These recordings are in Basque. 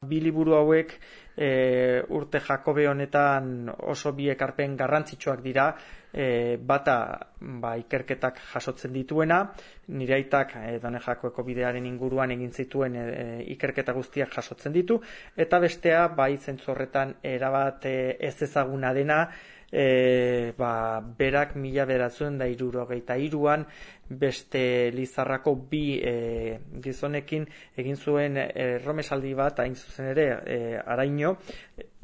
bi liburu hauek urte Jakobe honetan oso bi ekarpen garrantzitsuak dira. Bata ikerketak jasotzen dituena, nire aitak Done Jakoeko bidearen inguruan egin zituen ikerketa guztiak jasotzen ditu, eta bestea zentzu horretan erabat ez ezaguna dena, berak 1973an beste Lizarrako bi gizonekin egin zuen erromesaldi bat, hain zuzen ere Araño,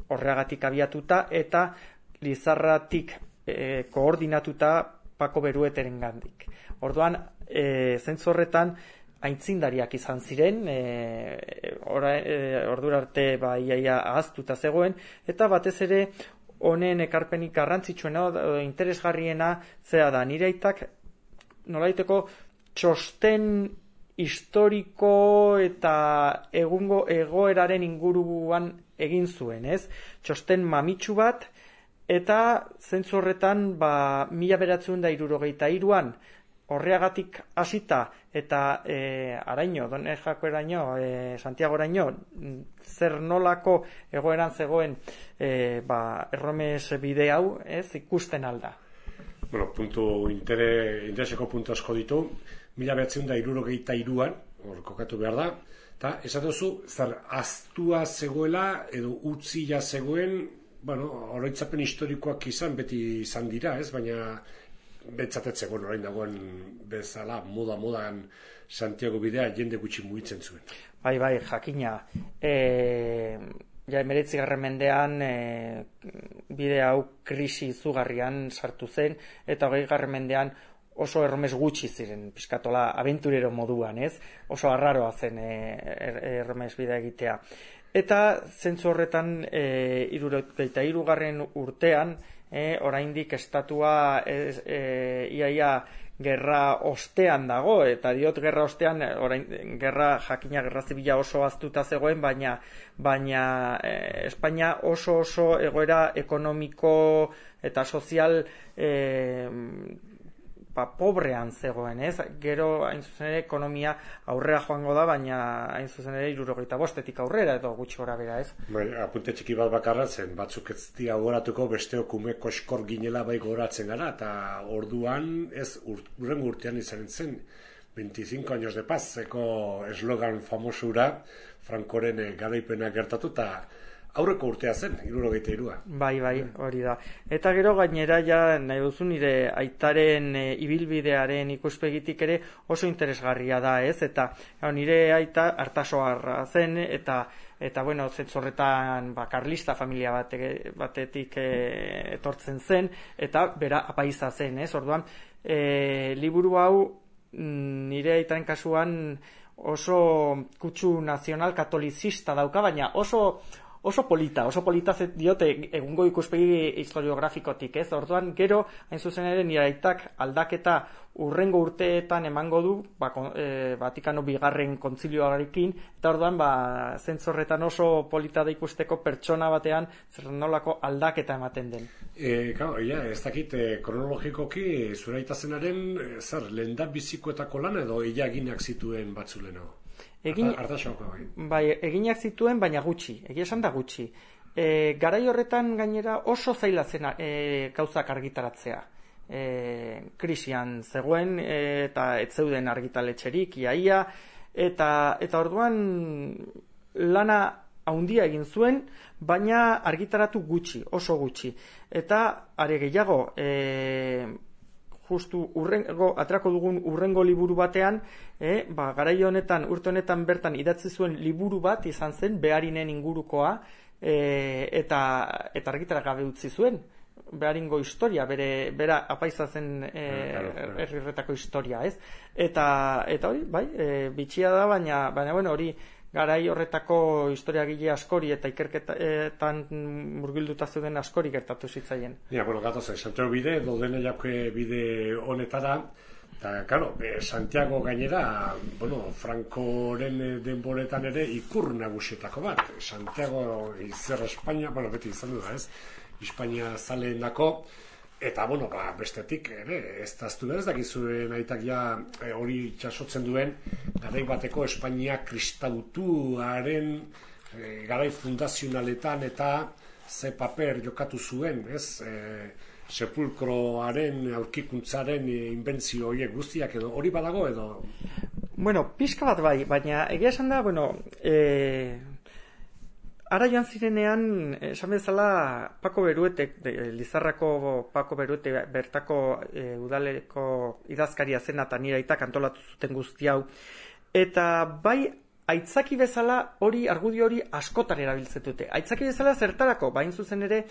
horregatik abiatuta, eta Lizarratik koordinatuta Pako Berueterengandik. Orduan, zentzu horretan aintzindariak izan ziren, ordura arte iaia ahaztuta zegoen, eta batez ere honen ekarpenik garrantzitsuena interesgarriena zera da, nire aitak nolaiteko txosten historiko eta egungo egoeraren inguruan egin zuen, ez? Txosten mamitsu bat, eta zentzu horretan 1973an horreagatik hasita eta Araño, Done Jakoeraino, Santiagoraino, zer nolako egoeran zegoen erromes bide hau, ez, ikusten alda. Bueno, intereseko puntu asko ditu. 1973an, hor kokatu behar da, eta esaten duzu, zer aztua zegoela edo utzia zegoen, oroitzapen historikoak beti izan dira, ez? Baina betzatetzegoen orain dagoen bezala modan Santiago bidea jende gutxi mugitzen zuen. Bai, jakina. 19. mendean bide hau krisi izugarrian sartu zen, eta 20. mendean oso erromes gutxi ziren, pixkatola abenturero moduan, ez? Oso arraroa zen erromes bidea egitea. Eta zentzu horretan 73. urtean, oraindik estatua iaia gerra ostean dago, eta diot gerra ostean, gerra zibila oso aztuta zegoen, baina Espainia oso egoera ekonomiko eta sozial pobrean zegoen, ez? Gero, hain zuzen ere, ekonomia aurrera joango da, baina hain zuzen ere 75etik aurrera, edo gutxi gora bera, ez? Bai, apunte txiki bat bakarra zen, batzuk ez dira goratuko, besteok ume koskor ginela bai goratzen gara, eta orduan, ez, urrengo urtean izan zen, 25 años de paz, eko eslogan famosura, Frankoren garaipena gertatu, eta aurreko urtea zen, 73a. Bai, hori da. Eta gero gainera nahi duzu nire aitaren ibilbidearen ikuspegitik ere oso interesgarria da, ez? Eta nire aita Artasoarra zen, eta zentzorretan karlista familia batetik etortzen zen, eta bera apaiza zen, ez? Orduan, liburu hau nire aitaren kasuan oso kutsu nazional katolizista dauka, baina oso polita diote egungo ikuspegi historiografikotik, ez? Orduan, gero, hain zuzen ere, nire aitak aldaketa urrengo urteetan emango du, Vatikano bigarren kontzilioarekin, eta orduan, zentzorretan oso polita da ikusteko pertsona batean zer nolako aldaketa ematen den. Ez dakit, kronologikoki, zure aita zenaren, lehen bizikoetako lan edo eginak zituen batzuleno? Bai, eginak zituen, baina gutxi, egia esan da gutxi. Garai horretan gainera oso zaila zen gauzak argitaratzea. Krisian zegoen eta ez zeuden argitaletxerik iaia, eta orduan lana haundia egin zuen, baina argitaratu gutxi, oso gutxi. Eta are gehiago, justu atrako dugun urrengo liburu batean, garai honetan, urte honetan bertan idatzi zuen liburu bat izan zen, Beharinen ingurukoa, eta argitara gabe utzi zuen, Beharingo historia, bera apaiza zen herrirretako historia, ez? Eta hori, bai, bitxia da, baina hori, garai horretako historiagile askori eta ikerketan murgilduta zeuden askori gertatu zitzaien. Gatozen, Santiago bide, Done Jakoe bide honetara, eta, Santiago gainera, Frankoren denboretan ere ikur nagusietako bat. Santiago izer Espainia, beti izan du da, ez? Espainia zaleenako, eta, bestetik, ez daztu behar, ez dakizuen aitak hori txasotzen duen, garai bateko Espainia kristautuaren garai fundazionaletan eta ze paper jokatu zuen, ez? Sepulkroaren, aurkikuntzaren inbentzio horiek guztiak edo hori badago edo? Bueno, pixka bat bai, baina egia esan da, ara joan zirenean, esan bezala, Pako Beruetek, Lizarrako Pako Beruete bertako udaleko idazkaria zen eta nire aitak antolatu zuten guzti hau. Eta bai, aitzaki bezala argudio hori askotan erabiltzen dute. Aitzaki bezala zertarako, bain zuzen ere,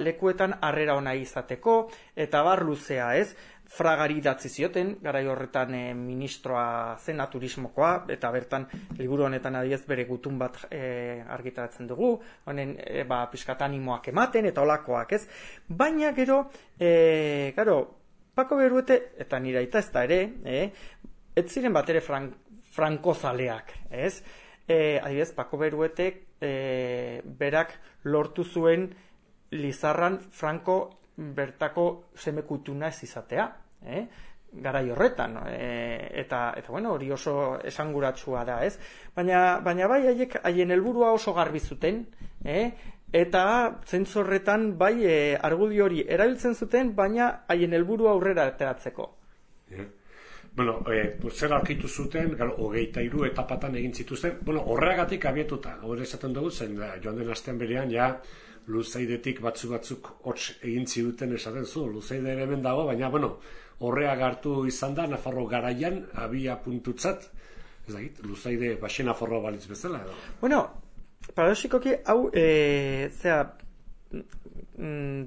lekuetan harrera ona izateko, eta bar luzea, ez? Fragari idatzi zioten, garai horretan ministroa zena turismokoa, eta bertan liburu honetan adiez bere gutun bat argitaratzen dugu, honen pixkat animoak ematen, eta olakoak, ez? Baina gero, Pako Beruete, eta nire aita ez da ere, ez ziren bat ere frankozaleak, ez? Adibidez, Pako Beruetek berak lortu zuen Lizarran Franko bertako semekutuna ez izatea, garai horretan, eta hori oso esanguratsua da, ez? Baina bai, haien helburua oso garbi zuten, eta zentzu horretan bai argudio hori erabiltzen zuten, baina haien helburua aurrera ateratzeko. Bueno, zer aurkitu zuten, 23 etapatan egin zituzten, horregatik abietuta, hori esaten dugu zen, joan den astean berean, Luzaidetik batzuk hots egin ziduten esaten zu, Luzaide ere hemen dago, baina, horreak hartu izan da, Nafarro garaian, abia puntutzat, ez dakit, Luzaide baxe Nafarro balitz bezala, edo? Paradoxikoki, hau,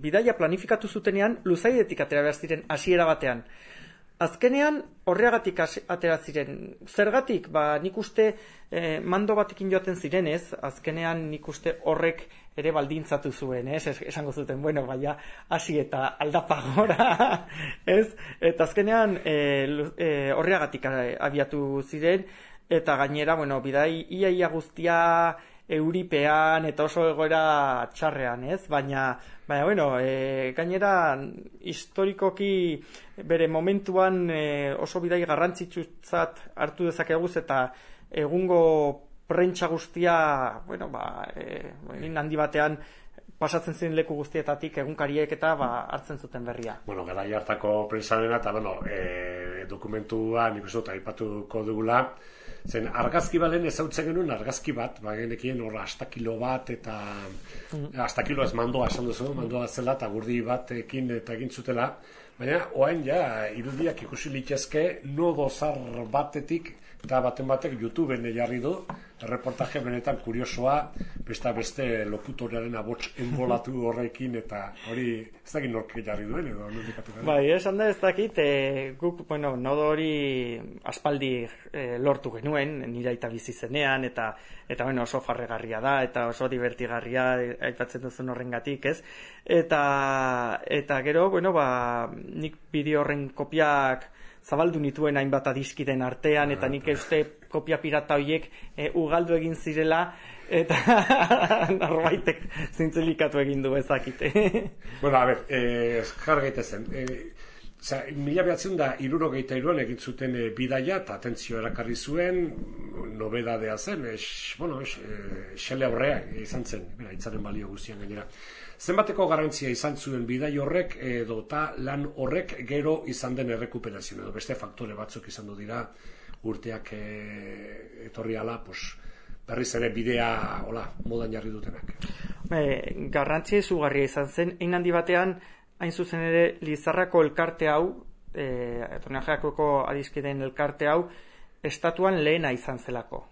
bidaia planifikatu zutenean, Luzaidetik atera behar ziren hasiera batean. Azkenean, horreagatik atera ziren. Zergatik, nik uste mando batekin joaten zirenez, azkenean nik uste horrek ere baldintzatu zuen, esango zuten, hasi eta aldapagora, ez? Eta azkenean horreagatik abiatu ziren, eta gainera, bidai ia guztia euripean eta oso egoera txarrean, ez? Baina gainera historikoki bere momentuan oso bidai garrantzitsutzat hartu dezakeguz eta egungo prentsa guztia, handi batean pasatzen ziren leku guztietatik egunkariek eta hartzen zuten berria. Garai hartako prentsarena eta dokumentua nik uste dut aipatuko dugula. Zen argazki balen ezautzen genuen argazki bat, genekien hor astakilo bat eta astakilo ez mandoa esan duzu, mandoa zela eta gurdi batekin eta egin zutela, baina oain irudiak ikusi litezke nodo zar batetik eta baten batek YouTubeen jarri du, reportaje benetan kuriosoa, beste lokutorearen abots enbolatu horrekin eta hori ez dakit nork jarri duen edo nondikatu gara. Esan da ez dakit, guk, nodo hori aspaldi lortu genuen, nire aita bizi zenean, eta oso farregarria da, eta oso divertigarria aipatzen duzun horrengatik, ez? Eta gero, nik bideo horren kopiak zabaldu nituen hainbat adiskiden artean, eta nik uste kopia pirata horiek ugaldu egin zirela, eta norbaitek zintzelikatu egin du ezakite. Jar gaitezen. 1963an egin zuten bidaia, eta atentzio erakarri zuen, nobedadea zen, xele aurrea izan zen, itzaren balio guztian gainera. Zenbateko garrantzia izan zuen bidai horrek edo lan horrek gero izan den errekuperazio edo beste faktore batzuk izan du dira urteak etorri ala, berriz ere bidea modan jarri dutenak. Garrantzia izugarria izan zen, hein handi batean, hain zuzen ere Lizarrako elkarte hau, Torneajeakoko adiskideen elkarte hau, estatuan lehena izan zelako.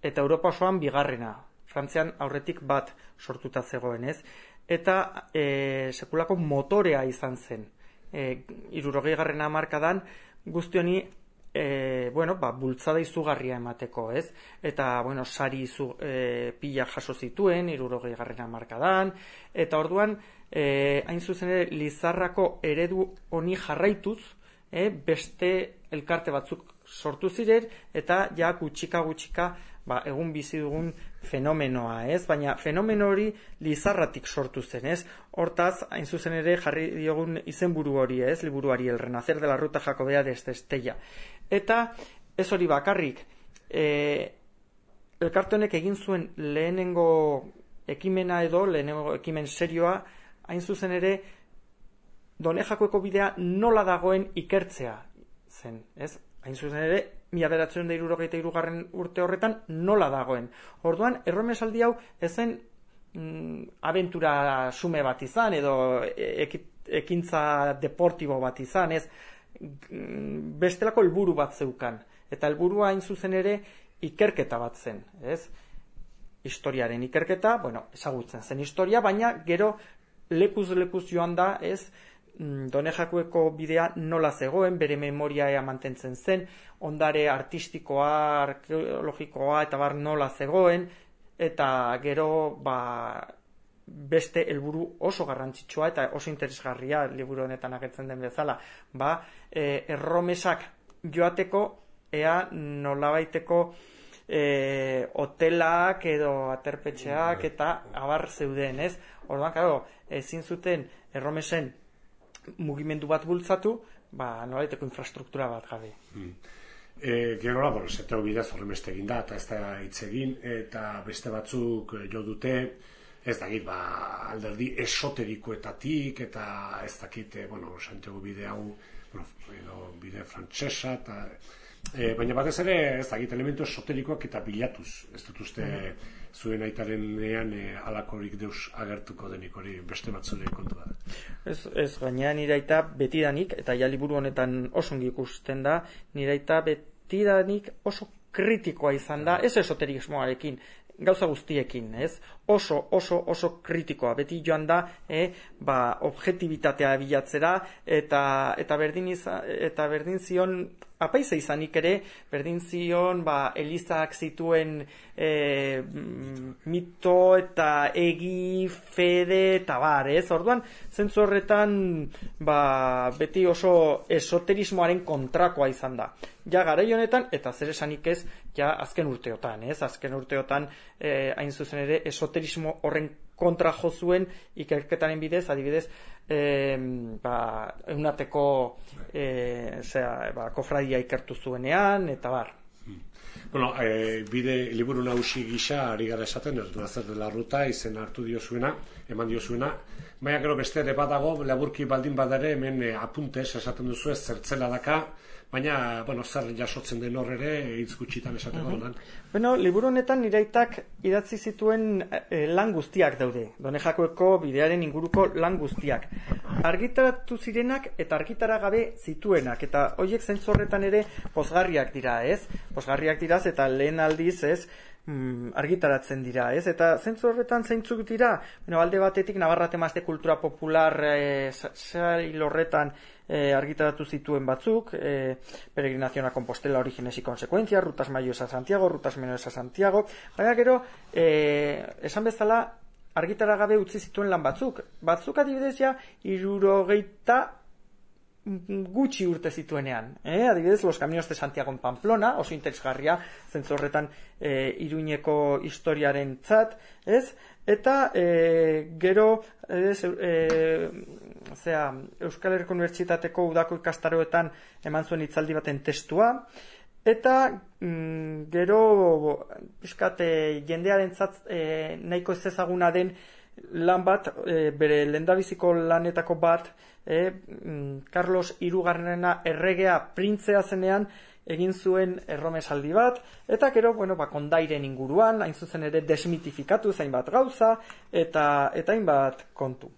Eta Europa osoan bigarrena. Frantzian aurretik bat sortuta zegoen, ez? Eta sekulako motorea izan zen. 60. hamarkadan guzti honi bultzada izugarria emateko, ez? Eta, sari pila jaso zituen 60. hamarkadan, eta orduan, hain zuzen ere, Lizarrako eredu honi jarraituz, beste elkarte batzuk sortu ziren, eta gutxika egun bizi dugun fenomenoa, ez? Baina fenomeno hori Lizarratik sortu zen, ez? Hortaz, hain zuzen ere jarri diogun izenburu hori, ez? Liburuari, El renacer de la ruta jacobea desde Estella. Eta ez hori bakarrik, elkarte honek egin zuen lehenengo ekimena lehenengo ekimen serioa, hain zuzen ere, Done Jakueko bidea nola dagoen ikertzea zen, ez? Hain zuzen ere, 1963 urte horretan nola dagoen. Orduan, erromesaldi hau ezen abentura sume bat izan, edo ekintza deportibo bat izan, ez? Bestelako helburu bat zeukan. Eta helburua hain zuzen ere ikerketa bat zen, ez? Historiaren ikerketa, ezagutzen zen historia, baina gero lekuz joan da, ez? Done Jakueko bidea nola zegoen, bere memoria mantentzen zen, ondare artistikoa, arkeologikoa eta bar nola zegoen, eta gero beste helburu oso garrantzitsua eta oso interesgarria liburu honetan agertzen den bezala, erromesak joateko ea nolabaiteko hotelak edo aterpetxeak eta abar zeuden, ez? Orduan, claro, ezin zuten erromesen mugimendu bat bultzatu, nolabaiteko infrastruktura bat gabe. Gero, zeteo bidez horremeste egin da, eta ez da hitz egin, eta beste batzuk jo dute, ez dakit, alderdi esoterikoetatik, eta ez dakit, Santiago bide hau, bide frantsesa, baina batez ere, ez dakit, elementu esoterikoak eta bilatuz, ez dut uste zuen aitarenean alakorik deus agertuko denik hori beste batzule kontu da. Ez gaina nire aita betidanik, eta ja liburu honetan oso ongi ikusten da, nire aita betidanik oso kritikoa izan da, ez esoterismoarekin, gauza guztiekin, ez? Oso kritikoa, beti joan da, objektibitatea bilatzera, eta berdin zion, apaiza izanik ere, berdin zion, Elizak zituen mito eta egi, fede, eta bar, ez? Orduan, zentzu horretan, beti oso esoterismoaren kontrakoa izan da. Ja, garai honetan, eta zer esanik ez, ja, azken urteotan, ez? Azken urteotan, hain zuzen ere, esoterismo horren kontra jo zuen ikerketaren bidez, adibidez, eunateko kofradia ikertu zuenean, eta bar. Bide liburu nagusi gisa ari gara esaten, ez du zer dela ruta, izen hartu diozuena, eman diozuena, baina gero beste ere badago, laburki baldin badare, hemen apuntez esaten duzu ez zertzela daka, baina, zer jasotzen den hor ere, hitz gutxitan esateko donan. Liburu honetan niraitak idatzi zituen lan guztiak daude, Done Jakueko bidearen inguruko lan guztiak. Argitaratu zirenak eta argitara gabe zituenak, eta horiek zentzu horretan ere pozgarriak dira, ez? Pozgarriak dira eta lehen aldiz, ez? Argitaratzen dira, ez? Eta zentzu horretan zeintzuk dira, alde batetik Navarra temas de cultura popular sail horretan argitaratu zituen batzuk, Peregrinación a Compostela, Orígenes y Consecuencias, Rutas Mayores a Santiago, Rutas Menores a Santiago, baina gero, esan bezala, argitara gabe utzi zituen lan batzuk adibidez ja, 60 gutxi urte zituenean, adibidez Los Caminos de Santiago en Pamplona, oso interesgarria, zentzu horretan Iruñeko historiaren tzat, ez? Eta gero Euskal Herriko Unibertsitateko udako ikastaroetan eman zuen hitzaldi baten testua, eta gero pixkat jendearentzat nahiko ez ezaguna den lan bat, bere lehendabiziko lanetako bat, Carlos Hirugarrena erregea printzea zenean egin zuen erromesaldi bat, eta gero, kondairen inguruan, hain zuzen ere desmitifikatu zainbat gauza, eta hainbat kontu.